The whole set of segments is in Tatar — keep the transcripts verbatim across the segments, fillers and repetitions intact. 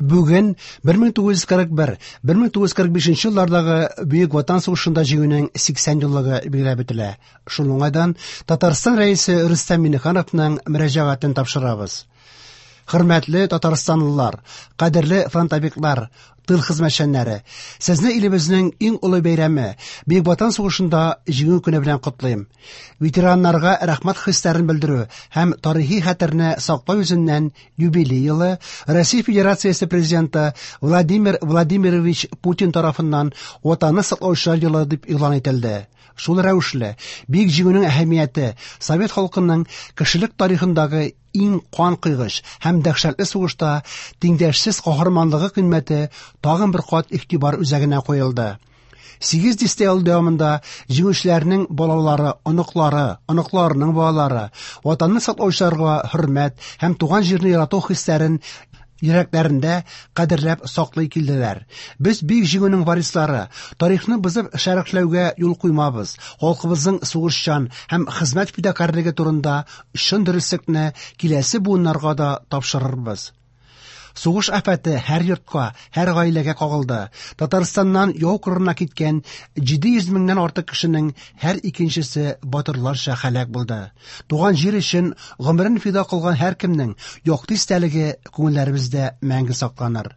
Бүген бер мең тугыз йөз кырык бер, бер мең тугыз йөз кырык бишенче еллардагы Бөек Ватан сугышында җиңүнең сиксән еллыгы билгеләп үтелә. Шул уңайдан Татарстан Рәисе Рөстәм Миңнехановның мөрәҗәгатен тапшырабыз. Хөрмәтле татарстанлылар, кадерле фронтовиклар, тыл хезмәтчәннәре, сезне илебезнең иң олы бәйрәме, Бөек Ватан сугышында җиңү көне белән котлыйм. Ветераннарга рәхмәт хисләрен белдерү һәм тарихи хәтерне саклау йөзеннән юбилей елы Россия Федерациясе Президенты Владимир Владимирович Путин тарафыннан Ватанны саклаучылар елы дип игълан ителде. Шул рәвешле, Бөек Җиңүнең әһәмияте совет халкының кешелек тарихындагы иң кан кыйгыч һәм дәһшәтле сугышта тиңдәшсез каһарманлыгы кыйммәте тагын бер кат игътибар үзәгенә куелды. Сигез дистә ел дәвамында җиңүчеләрнең балалары, оныклары, оныкларының балалары, Ватанны саклаучыларга хөрмәт һәм туган җирне ярату хисләрен йөрәкләрендә кадерләп саклый килделәр. Без Бөек Җиңүнең варислары, тарихны бозып шәрехләүгә юл куймабыз. Халкыбызның сугышчан һәм хезмәт фидакарьлеге турында чын дөреслекне киләсе буыннарга да тапшырырбыз. Сугыш афәте һәр йортка, һәр гаиләгә кагылды. Татарстаннан яу кырына киткән җиде йөз меңнән артык кешенең һәр икенчесе батырларча һәлак булды. Туган җир өчен гомерен фида кылган һәркемнең якты истәлеге күңелләребездә мәңге сакланыр.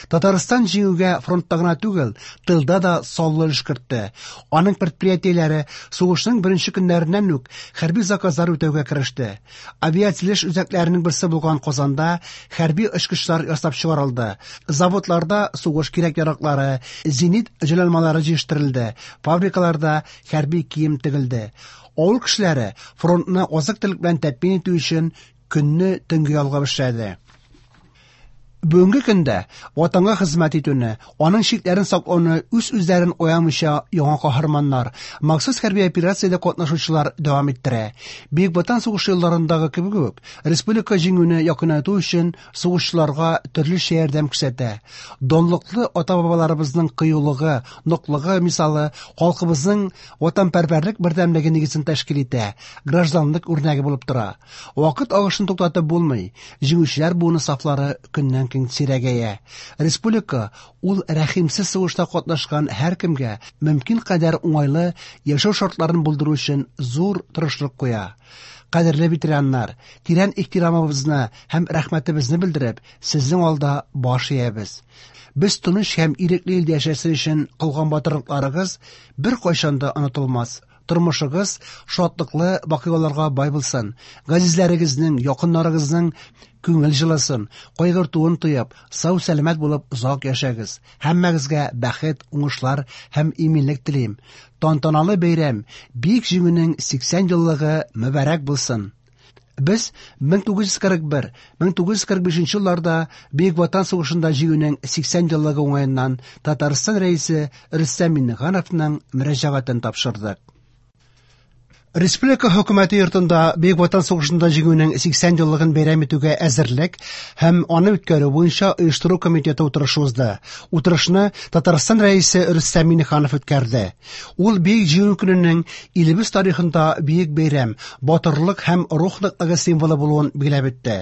Татарстан җиңүгә фронтта гына түгел, тылда да саллы өлеш кертте. Аның предприятиеләре сугышның беренче көннәреннән үк хәрби заказлар үтәүгә кереште. Авиация үзәкләренең берсе булган Казанда хәрби очкычлар ясап чыгарылды. Заводларда сугыш кирәк-яраклары, зенит җайланмалары җитештерелде. Фабрикаларда хәрби кием тегелде. Авыл кешеләре фронтны азык-төлек белән тәэмин итү өчен көнне төнгә ялгап эшләде. Бүгенге көндә ватанга хезмәт итүне, аның чикләрен саклауны үз-үзләрен аямыйча яңа каһарманнар, махсус хәрби операциядә катнашучылар дәвам иттерә. Бөек Ватан сугышы елларындагы кебек үк, республика җиңүне якынайту өчен сугышчыларга төрлечә ярдәм күрсәтә. Данлыклы ата-бабаларыбызның кыюлыгы, ныклыгы мисалы халкыбызның ватанпәрвәрлек бердәмлеге нигезен тәшкил итә, гражданлык үрнәге булып тора. Вакыт агышын туктатып булмый, җиңүчеләр буыны сафлары көннән көн сирәгәя. Республика ул рәхимсез сугышта катнашкан һәркемгә мөмкин кадәр уңайлы яшәү шартларын булдыру өчен зур тырышлык куя. Кадерле ветераннар, тирән ихтирамыбызны һәм рәхмәтебезне белдереп, сезнең алда баш иябез. Без тыныч һәм ирекле илдә яшәсен өчен кылган батырлыкларыгыз бер кайчан да онытылмас. Тормышыгыз шатлыклы вакыйгаларга бай булсын. Газизләрегезнең, якыннарыгызның күңел җылысын, кайгыртуын тоеп, сау-сәламәт булып озак яшәгез. Һәммәгезгә бәхет, уңышлар һәм иминлек телим. Тантаналы бәйрәм, Бөек Җиңүнең сиксән еллыгы мөбарәк булсын. Без мең тугыз йөз кырык бер, мең тугыз йөз кырык бишенче елларда Бөек Ватан сугышында җиңүнең сиксән еллыгы уңаеннан Татарстан Рәисе Рөстәм Миңнехановның мөрәҗәгатен тапшырдык. Республика хөкүмәте йортында Бөек Ватан сугышында җиңүнең сиксән еллыгын бәйрәм итүгә әзерлек һәм аны үткәрү буенча оештыру комитеты утырышы узды. Утырышны Татарстан Рәисе Рөстәм Миңнеханов үткәрде. Ул Бөек Җиңү көненең илебез тарихында бөек бәйрәм, батырлык һәм рух ныклыгы символы булуын билгеләп үтте.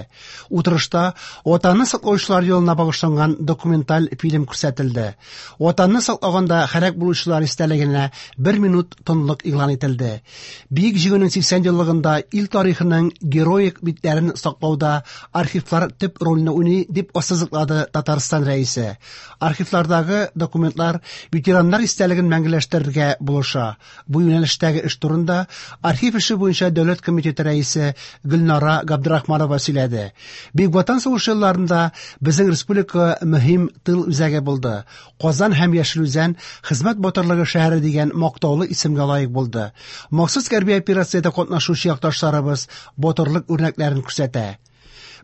Утырышта Ватанны саклаучылар елына багышланган документаль фильм күрсәтелде. Ватанны саклаганда һәлак булучылар истәлегенә бер минут тынлык игълан ителде. Бөек Җиңүнең сиксән еллыгында ил тарихының героик битләрен саклауда архивлар төп рольне уйный, дип ассызыклады Татарстан Рәисе. Архивлардагы документлар ветераннар истәлеген мәңгеләштерергә булыша. Бу юнәлештәге эш турында архив эше буенча дәүләт комитеты рәисе Гөлнара Габдрахманова сөйләде. Бөек Ватан сугышы елларында безнең республика мөһим тыл үзәге булды. Казан һәм Яшел Үзән хезмәт батырлыгы шәһәре дигән мактаулы исемгә лаек булды. Махсус хәрби операциядә катнашучы якташларыбыз батырлык үрнәкләрен күрсәтә.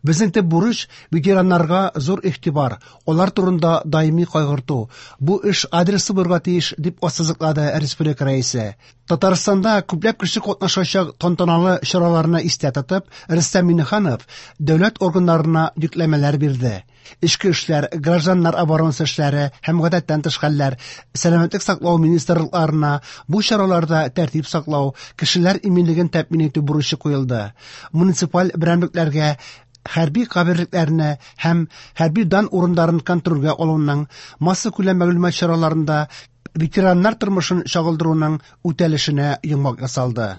Безнең төп бурыч ветераннарга зур игътибар, алар турында даими кайгырту. Бу эш адресы булырга тиеш, дип ассызыклады республика рәисе. Татарстанда күпләп кеше катнашачак тантаналы чараларны истә тотып, Рөстәм Миңнеханов дәүләт органнарына йөкләмәләр бирде. Эчке эшләр, гражданнар оборонасы эшләре һәм гадәттән тыш хәлләр, сәламәтлек саклау министрлыкларына бу чараларда тәртип саклау, кешеләр иминлеген тәэмин итү бурычы куелды. Муниципаль берәмлекләргә Хәрби каберлекләрне һәм хәрби дан урыннарын контрольгә алуның, массакүләм мәгълүмат чараларында ветераннар тормышын чагылдыруның үтәлешенә йомгак ясалды.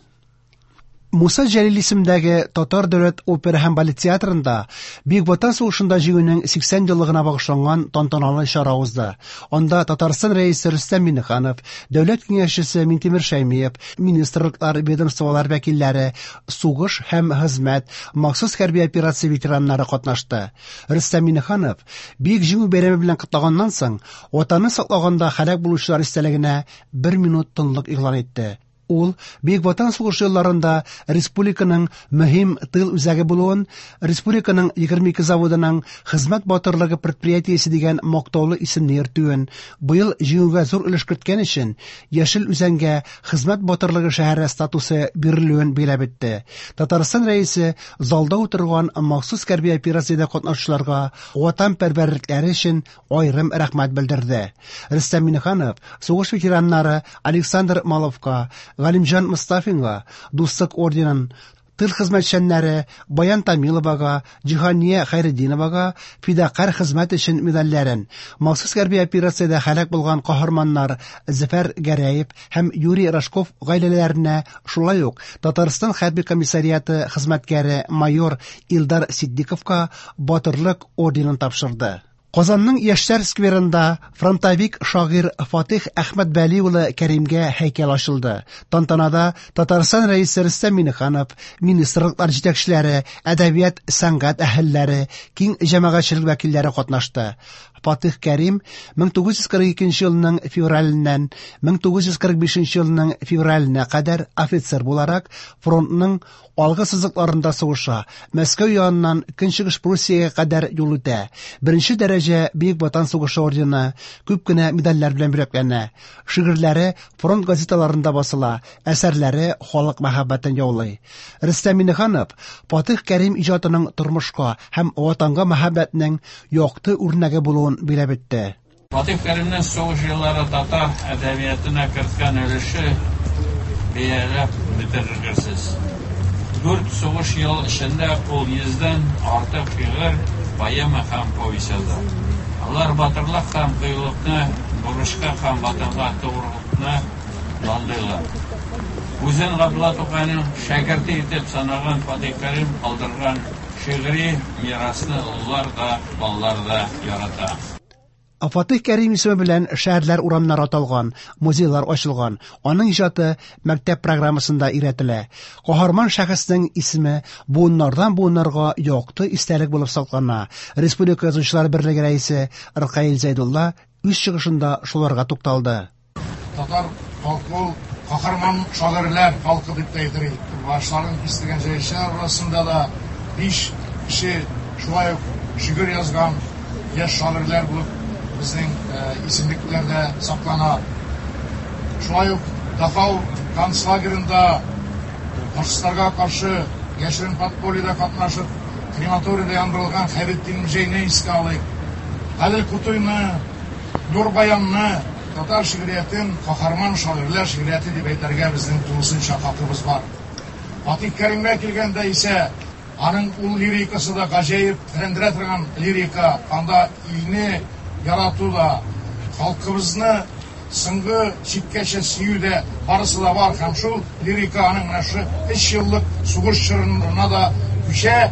Муса Җәлил исемендәге Татар дәүләт опера һәм балет театрында Бөек Ватан сугышында җиңүнең сиксән еллыгына багышланган тантаналы чара узды. Анда Татарстан Рәисе Рөстәм Миңнеханов, Дәүләт киңәшчесе Минтимер Шәймиев, министрлыклар, ведомстволар вәкилләре, сугыш һәм хезмәт, махсус хәрби операция ветераннары катнашты. Рөстәм Миңнеханов Бөек Җиңү бәйрәме белән котлаганнан соң, Ватанны саклаганда һәлак булучылар истәлегенә бер минут тынлык игълан итте. Ул Бөек Ватан сугышы елларында республиканың мөһим тыл үзәге булуын, республиканың егерме ике заводының хезмәт батырлыгы предприятиесе дигән мактаулы исемне йөртүен, быел җиңүгә зур өлеш керткән өчен Яшел Үзәнгә хезмәт батырлыгы шәһәре статусы бирелүен билгеләп үтте. Татарстан Рәисе залда утырган махсус хәрби операциядә катнашучыларга ватанпәрвәрлекләре өчен аерым рәхмәт белдерде. Рөстәм Миңнеханов сугыш ветераннары Александр Маловка, Галимҗан Мостафинга Дуслык орденын, тыл хезмәтчәннәре Баян Тамиловага, Җиһания Хәйретдиновага фидакарь хезмәт өчен медальләрен, махсус хәрби операциядә һәлак булган каһарманнар Зөфәр Гәрәев һәм Юрий Рожков гаиләләренә, шулай ук Татарстан хәрби комиссариаты хезмәткәре майор Илдар Ситдиковка Батырлык орденын тапшырды. Казанның Яшьләр скверында фронтовик шагыйрь Фатих Әхмәтвәли улы Кәримгә һәйкәл ачылды. Тантанада Татарстан Рәисе Рөстәм Миңнеханов, министрлыклар җитәкчеләре, әдәбият, сәнгать әһелләре, киң җәмәгатьчелек вәкилләре катнашты. Фатих Кәрим мең тугыз йөз кырык икенче елның февраленнән мең тугыз йөз кырык бишенче елның февраленә кадәр офицер буларак фронтның алгы сызыкларында сугыша, Мәскәү яныннан Көнчыгыш Пруссиягә кадәр юл үтә. Беренче дәрәҗә Бөек Ватан сугышы ордены, күп кенә медальләр белән бүләкләнә. Шигырьләре фронт газеталарында басыла, әсәрләре халык мәхәббәтен яулый. Рөстәм Миңнеханов Фатих Кәрим иҗатының тормышка һәм ватанга мәхәббәтнең якты үрнәге булуын билгеләп үтте. Фатих Кәримнең сугыш еллары татар әдәбиятына керткән өлеше бәяләп бетергесез. Дүрт сугыш ел эчендә ул йөздән артык шигырь, поэма һәм повесть яза. Алар батырлык һәм кыюлыкны, бурычка һәм ватанга тугрылыкны данлыйлар. Үзен Габдулла Тукайның шәкерте итеп санаган Фатих Кәрим калдырган шигъри мирасны олылар да, балалар да ярата. Фатих Кәрим исеме белән шәһәрләр урамнары аталган, музейлар ачылган. Аның иҗаты мәктәп программасында өйрәтелә. Каһарман шәхеснең исеме буыннардан буыннарга якты истәлек булып саклана. Республика Язучылар берлеге рәисе Ркаил Зәйдулла үз чыгышында шуларга тукталды. Татар халкы ул каһарман шагыйрьләр халкы дип тә әйтер идек. Башларын кистергән җәйшеләр арасында да биш кеше шулай ук шигырь язган яшь шагыйрьләр булып безнең, э, исемлекләрдә саклана. Шулай ук Дахау концлагерында фашистларга каршы яшерен подпольеда катнашып, крематорийда яндырылган Хәйретдин Мөҗәйне искә алыйк. Гадел Кутуйны, Нур Баянны, татар шигъриятен каһарман шагыйрьләр шигърияте дип әйтергә безнең тулысынча хакыбыз бар. Фатих Кәримгә килгәндә исә, аның ул лирикасы да гаҗәеп тетрәндерә торган лирика, анда илне ярату да, халкыбызны соңгы чиккәчә сөю дә барысы да бар. Һәм шул лирика аның менә шушы өч еллык сугыш чорына да күчә.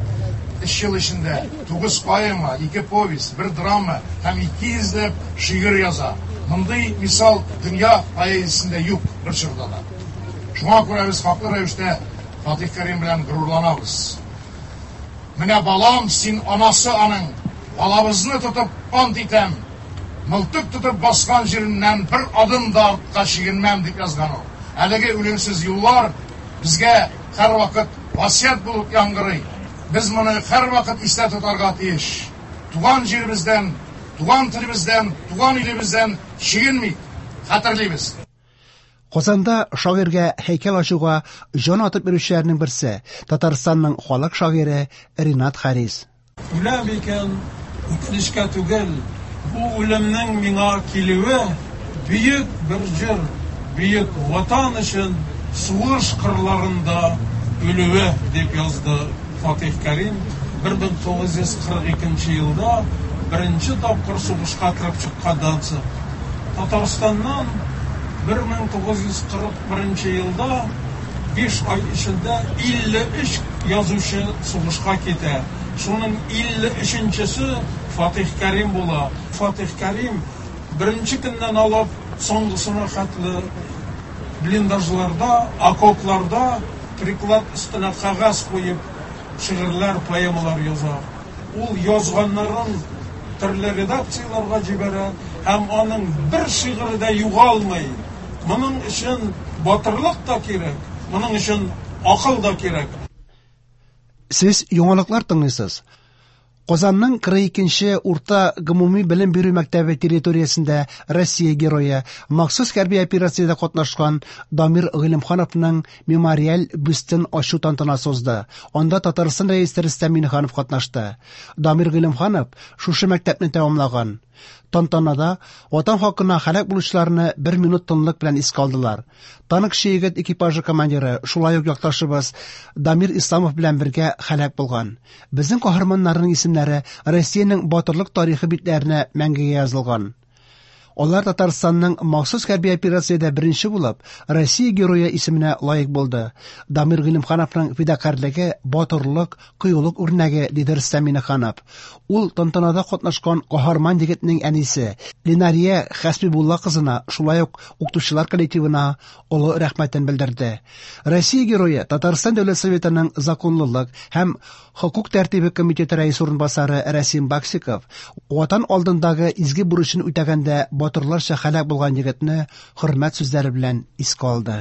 Өч ел эчендә тугыз поэма, ике повесть, бер драма һәм ике йөзләп шигырь яза. Мондый мисал дөнья поэзиясендә юк бер чорда да. Шуңа күрә без хаклы рәвештә Фатих Кәрим белән горурланабыз. Менә балам, син анасы аның, балабызны тотып ант итәм, мылтык тотып баскан җиреннән бер адым да артка чигенмәм дип язган ул. Әлеге үлемсез юллар безгә һәрвакыт васыять булып яңгырый. Без моны һәрвакыт истә тотарга тиеш. Туган җиребездән, туган телебездән, туган илебездән чигенмик, хәтерлибез. Казанда шагыйрьгә һәйкәл ачуга җан атып йөрүчеләрнең берсе Татарстанның халык шагыйре Ринат Харис. Үләм икән, үкенечкә түгел, бу үлемнең миңа килүе бөек бер җыр, бөек ватан өчен сугыш кырларында үлүе дип язды Фатих Кәрим. бер мең тугыз йөз кырык икенче елда беренче тапкыр сугышка кереп чыкканнан соң. Татарстаннан бер мең тугыз йөз кырык беренче елда биш ай эчендә илле өч язучы сугышка китә. Шуның илле өченчесе Фатих Кәрим була. Фатих Кәрим беренче көннән алып соңгысына хәтле блиндажларда, окопларда приклад өстенә кәгазь куеп шигырьләр, поэмалар яза. Ул язганнарын төрле редакцияләргә җибәрә һәм аның бер шигыре дә югалмый. Моның өчен батырлык та кирәк, моның өчен акыл да кирәк. Сез яңалыклар тыңлыйсыз. Казанның кырык икенче урта гомуми белем бирү мәктәбе территориясендә Россия герое, махсус хәрби операциядә катнашкан Дамир Гыйлемхановның мемориаль бюстын ачу тантанасы узды. Анда Татарстан рәисе Рөстәм Миңнеханов катнашты. Дамир Гыйлемханов шушы мәктәпне тәмамлаган. Тантанада ватан хакына һәлак булучыларны бер минут тынлык белән искә алдылар. Танкчы егет экипажы командиры, шулай ук якташыбыз Дамир Исламов белән бергә һәлак булган. Безнең каһарманнарның исемнәре Россиянең батырлык тарихы битләренә мәңгегә язылган. Алар Татарстанның махсус хәрби операциядә беренче булып, Россия герое исеменә лаек булды. Дамир Гыйлемхановның фидакарьлеге, батырлык, кыюлык үрнәге, диде Рөстәм Миңнеханов. Ул тантанада катнашкан каһарман егетнең әнисе Ленария Хәсбибулла кызына, шулай ук укытучылар коллективына олы рәхмәтен белдерде. Россия герое Татарстан Дәүләт Советының законлылык һәм хокук тәртибе комитеты рәисе урынбасары Рәсим Баксиков Ватан алдындагы изге бурычын үтәгәндә батырларча һәлак булган егетне хөрмәт сүзләре белән искә алды.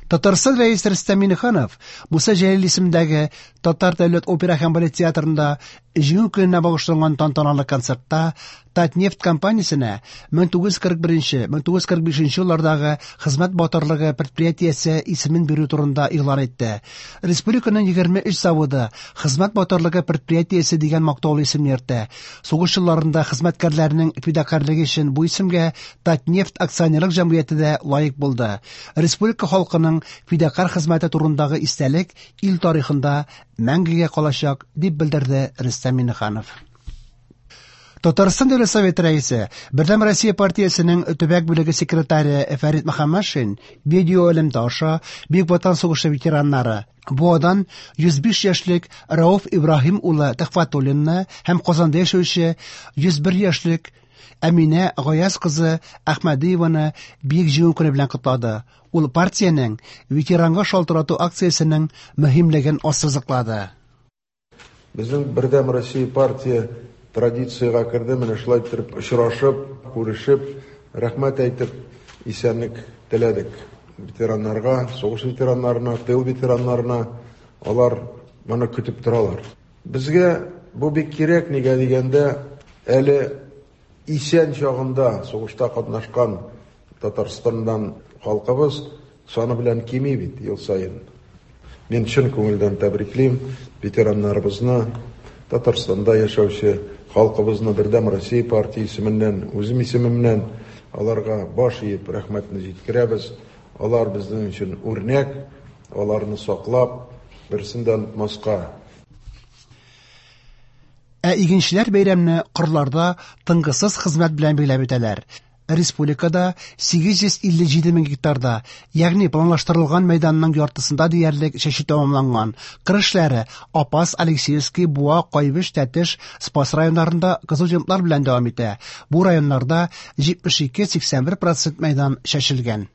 Татарстан рәисе Рөстәм Миңнеханов Муса Җәлил исемендәге Татар дәүләт опера һәм балет театрында Җиңү көненә багышланган тантаналы концертта Татнефть компаниясенә мең тугыз йөз кырык беренче, мең тугыз йөз кырык бишенче еллардагы хезмәт батырлыгы предприятиесе исемен бирү турында игълан итте. Республиканың егерме өч заводы хезмәт батырлыгы предприятиесе дигән мактаулы исемне йөртә. Сугыш елларында хезмәткәрләрнең фидакарьлеге өчен бу исемгә Татнефть акционерлык җәмгыяте дә лаек булды. Республика халкының фидакарь хезмәте турындагы истәлек ил тарихында мәңгегә калачак, дип белдерде Рөстәм Миңнеханов. Татарстан Дәүләт Советы рәисе, Бердәм Россия партиясенең төбәк бүлеге секретаре Фәрит Мөхәммәтшин видео элемтә аша Бөек Ватан сугышы ветераннары Буадан йөз биш яшьлек Рауф Ибраһим улы Төхфәтуллинны һәм Казанда яшәүче йөз бер яшьлек Әминә Гаяз кызы Әхмәдиеваны Бөек Җиңү көне белән котлады. Ул партиянең ветеранга шалтырату акциясенең мөһимлеген ассызыклады. Безнең Бердәм Россия партия традициягә керде, менә шулай итеп очрашып, күрешеп, рәхмәт әйтеп, исәнлек теләдек. Ветераннарга, сугыш ветераннарына, тыл ветераннарына, алар моны көтеп торалар. Безгә бу бик кирәк, нигә дигәндә, әле исән чагында сугышта катнашкан Татарстаннан халкыбыз саны белән кими бит ел саен. Мин чын күңелдән тәбриклим ветераннарыбызны, Татарстанда яшәүче халкыбызны Бердәм Россия партиясе исеменнән, үзем исемемнән аларга баш иеп рәхмәтне җиткерәбез. Алар безнең өчен үрнәк, аларны саклап, берсен дә онытмаска. Ә игенчеләр бәйрәмне кырларда тынгысыз хезмәт белән биләп үтәләр. Республикада сигез йөз илле җиде мең гектарда, ягъни планлаштырылган мәйданның яртысында диярлек чәчү тәмамланган. Кыр эшләре Апас, Алексеевский, Буа, Кайбыч, Тәтеш, Спас районнарында кызу темплар белән дәвам итә. Бу районнарда җитмеш ике, сиксән бер процент мәйдан чәчелгән.